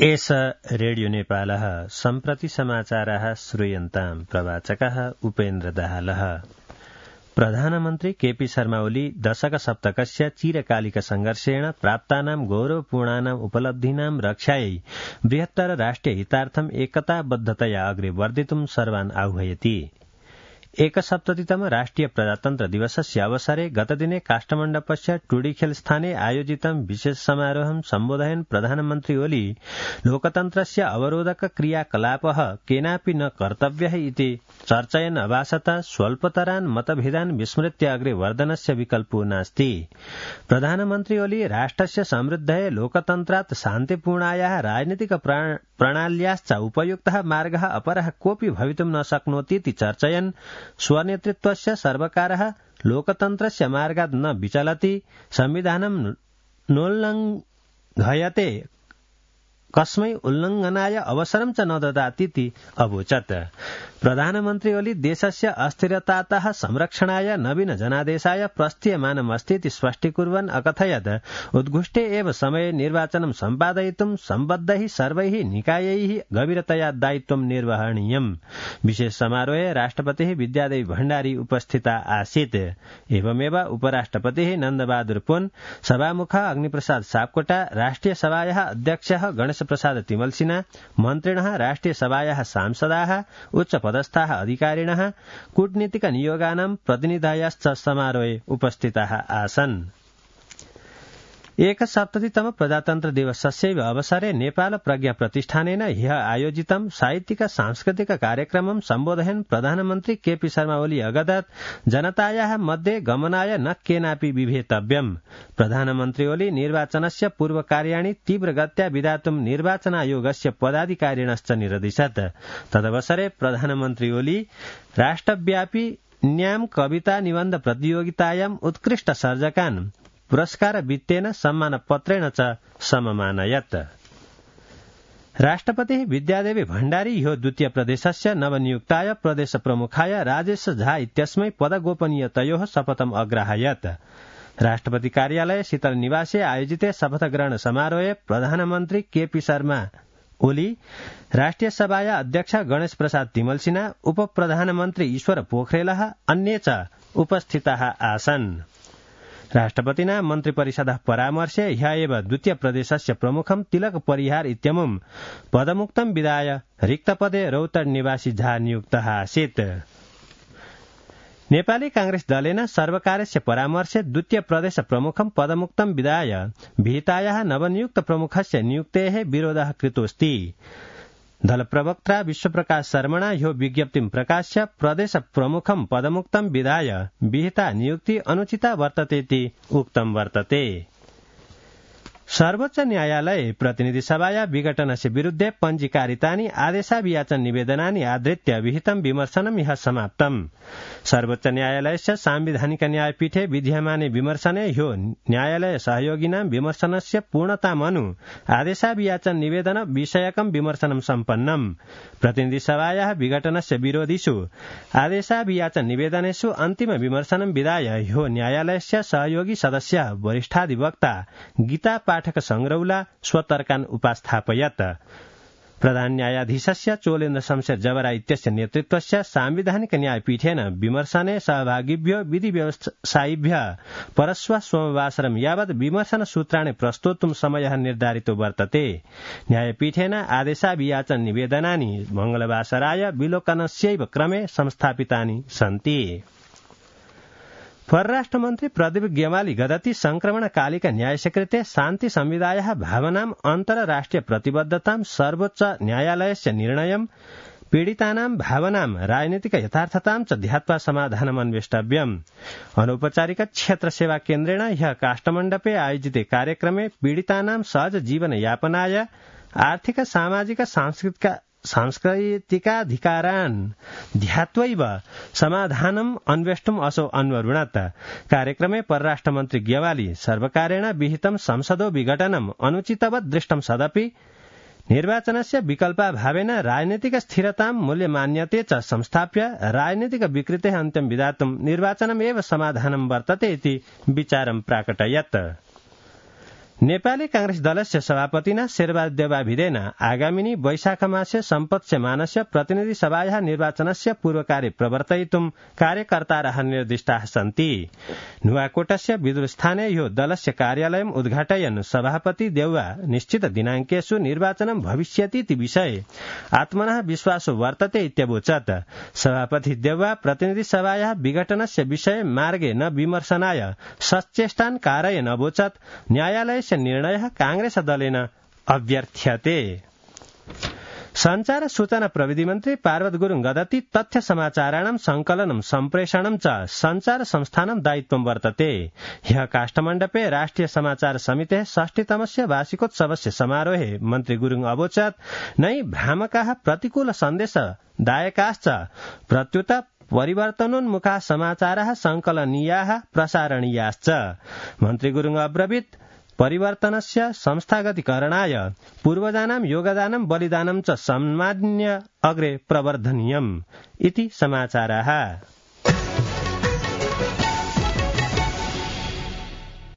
एष रेडियो नेपालः सम्प्रति समाचाराः श्रूयन्ताम् प्रवाचकः उपेन्द्र दाहालः। प्रधानमन्त्री केपी शर्मा ओली दशकसप्तकस्य चिरकालिक संघर्षेण प्राप्तानां गौरवपूर्णानां उपलब्धीनां रक्षायै बृहत्तर राष्ट्रिय हितार्थम् एकताबद्धतया अग्रे वर्धितुं सर्वान् आह्वयति। एकसप्ततितम राष्ट्रिय प्रजातन्त्र दिवसस्य अवसरे गतदिने काष्ठमण्डपस्य टुडीखेल स्थाने आयोजितं विशेष समारोहं सम्बोधयन् प्रधानमन्त्री ओली लोकतन्त्रस्य अवरोधक क्रियाकलापः केनापि न कर्तव्यः इति चर्चयन् अभाषत स्वल्पतरान् मतभेदान् विस्मृत्य अग्रे वर्धनस्य विकल्पो नास्ति। प्रधानमन्त्री ओली राष्ट्रस्य समृद्धये लोकतन्त्रात् शान्तिपूर्णायाः राजनीतिक प्रणाल्याश्च उपयुक्तः मार्गः अपरः कोऽपि भवितुं न शक्नोति इति चर्चयन् स्वनेतृत्वस्य सर्वकारः लोकतन्त्रस्य मार्गात् न विचलति, संविधानं नोल्लङ्घयते, कस्मै उल्लङ्घनाय अवसरं च न ददातीति अवोचत्। प्रधानमन्त्री ओली देशस्य अस्थिरतातः संरक्षणाय नवीन जनादेशाय प्रस्थीयमानमस्ति इति स्पष्टीकुर्वन् अकथयत् उद्घुष्टे एव समये निर्वाचनं सम्पादयितुं सम्बद्धैः सर्वैः निकायैः गभीरतया दायित्वं निर्वहणीयम्। विशेष समारोहे राष्ट्रपतिः विद्यादेवी भण्डारी उपस्थिता आसीत्। एवमेव उपराष्ट्रपतिः नन्दबहादुर पुन, सभामुख अग्निप्रसाद सापकोटा, राष्ट्रिय सभायाः अध्यक्षः गणेश प्रसाद तिमलसिना, मन्त्रिणः, राष्ट्रिय सभायाः सांसदाः, उच्च पदस्थाः अधिकारिणः, कूटनीतिक नियोगानां प्रतिनिधयश्च समारोहे उपस्थिताः आसन्। एकसप्ततितम प्रजातन्त्र दिवसस्यैव अवसरे नेपाल प्रज्ञा प्रतिष्ठानेन ह्यः आयोजितं साहित्यिक सांस्कृतिक कार्यक्रमं सम्बोधयन् प्रधानमन्त्री केपी शर्मा ओली अगदत् जनतायाः मध्ये गमनाय न केनापि विभेतव्यम्। प्रधानमन्त्री ओली निर्वाचनस्य पूर्वकार्याणि तीव्रगत्या विधातुं निर्वाचन आयोगस्य पदाधिकारिणश्च निरदिशत्। तदवसरे प्रधानमन्त्री ओली राष्ट्रव्यापी न्याम कविता निबन्ध प्रतियोगितायाम् उत्कृष्ट सर्जकान् पुरस्कार वित्तेन सम्मानपत्रेण च सममानयत्। राष्ट्रपतिः विद्यादेवी भण्डारी ह्यो द्वितीय प्रदेशस्य नवनियुक्ताय प्रदेश प्रमुखाय राजेश झा इत्यस्मै पदगोपनीयतयोः शपथम् अग्राहयत्। राष्ट्रपति कार्यालय शीतल निवासे आयोजिते शपथग्रहण समारोहे प्रधानमन्त्री केपी शर्मा ओली, राष्ट्रिय सभाया अध्यक्ष गणेश प्रसाद तिमलसिना, उप प्रधानमन्त्री ईश्वर पोखरेलः अन्ये च उपस्थिताः आसन्। राष्ट्रपतिना मन्त्रिपरिषदः परामर्शे ह्यः एव द्वितीय प्रदेशस्य प्रमुखं तिलक परिहार इत्यमुं पदमुक्तं विदाय रिक्तपदे रौतड निवासी झा नियुक्तः आसीत्। नेपाली कांग्रेस दलेन सर्वकारस्य परामर्शे द्वितीय प्रदेश प्रमुखं पदमुक्तं विदाय विहितायाः नवनियुक्त प्रमुखस्य नियुक्तेः विरोधः कृतोऽस्ति। दलप्रवक्ता विश्वप्रकाश शर्मणा ह्यो विज्ञप्तिं प्रकाश्य प्रदेश प्रमुखं पदमुक्तं विधाय विहिता नियुक्ति अनुचिता वर्ततेति उक्तं वर्तते। सर्वोच्च न्यायालये प्रतिनिधि सभाया विघटनस्य विरुद्धे पञ्जीकारितानि आदेशाभियाचन निवेदनानि आधृत्य विहितं विमर्शनं ह्यः समाप्तम्। सर्वोच्च न्यायालयस्य सांविधानिक न्यायपीठे विधीयमाने विमर्शने ह्यो न्यायालय सहयोगिनां विमर्शनस्य पूर्णतामनु आदेशाभियाचन निवेदन विषयकं विमर्शनं सम्पन्नम्। प्रतिनिधि सभायाः विघटनस्य विरोधिषु आदेशाभियाचन निवेदनेषु अन्तिम विमर्शनं विधाय ह्यो न्यायालयस्य सहयोगी सदस्य वरिष्ठाधिवक्ता गीता पाठक संग्रौला स्वतर्कान् उपास्थापयत्। प्रधान न्यायाधीशस्य चोलेन्द्र शमशेर जवरा इत्यस्य नेतृत्वस्य सांविधानिक न्यायपीठेन विमर्शने सहभागिभ्यो विधि व्यवसायिभ्यः परश्व सोमवासरं यावत् विमर्शन सूत्राणि प्रस्तोतुं समयः निर्धारितो वर्तते। न्यायपीठेन आदेशाभियाचन निवेदनानि मंगलवासराय विलोकनस्यैव क्रमे संस्थापितानि सन्ति। परराष्ट्रमन्त्री प्रदीप गेवाली गदति संक्रमणकालिक न्यायस्यकृते शान्ति संविदायाः भावनाम् अन्तर्राष्ट्रिय प्रतिबद्धतां सर्वोच्च न्यायालयस्य निर्णयं पीडितानां भावनां राजनीतिक यथार्थतां च ध्यात्वा समाधानम् अन्वेष्टव्यम्। अनौपचारिक क्षेत्र सेवा केन्द्रेण ह्यः काष्ठमण्डपे आयोजिते कार्यक्रमे पीडितानां सहज जीवन यापनाय आर्थिक सामाजिक सांस्कृतिकाधिकारान् ध्यात्वैव समाधानम् अन्वेष्टुम् असौ अन्वरुणत्। कार्यक्रमे परराष्ट्रमन्त्री गेवाली सर्वकारेण विहितं संसदो विघटनम् अनुचितवत् दृष्टं सदपि निर्वाचनस्य विकल्पाभावेन राजनीतिक स्थिरतां मूल्यमान्यते च संस्थाप्य राजनीतिक विकृतेः अन्त्यं विधातुं निर्वाचनमेव समाधानं वर्तते इति विचारं प्राकटयत्। नेपाली कांग्रेस दलस्य सभापतिना शेरबहादुर देउवाभिदेन आगामिनी वैशाखमास्य सम्पत्स्यमानस्य प्रतिनिधि सभायाः निर्वाचनस्य पूर्वकार्य प्रवर्तयितुं कार्यकर्तारः निर्दिष्टाः सन्ति। नुवाकोटस्य विदुरस्थाने यो दलस्य कार्यालयम् उद्घाटयन् सभापति देउवा निश्चित दिनाङ्केषु निर्वाचनं भविष्यतीति विषये आत्मनः विश्वासो वर्तते इत्यवोचत्। सभापति देउवा प्रतिनिधि सभायाः विघटनस्य विषये मार्गे न विमर्शनाय सचेष्टान् कारयन् अवोचत्। न्यायालयस्य निर्णयः कांग्रेस दलेन अभ्यर्थ्यते। संचार सूचना प्रविधि मन्त्री पार्वत गुरुङ गदति तथ्य समाचाराणां संकलनं सम्प्रेषणं च संचार संस्थानं दायित्वं वर्तते। ह्यः काष्ठमण्डपे राष्ट्रिय समाचार समितेः 60तमस्य वार्षिकोत्सवस्य समारोहे मन्त्री गुरुङ अवोचत् नै भ्रामकाः प्रतिकूल सन्देश दायकाश्च प्रत्युत परिवर्तनोन्मुखाः समाचाराः संकलनीयाः प्रसारणीयाश्च। मन्त्री गुरुङ अब्रवीत् परिवर्तनस्य संस्थागतीकरणाय पूर्वजानां योगदानं बलिदानं च सम्मान्य अग्रे प्रवर्धनीयम् इति समाचाराः।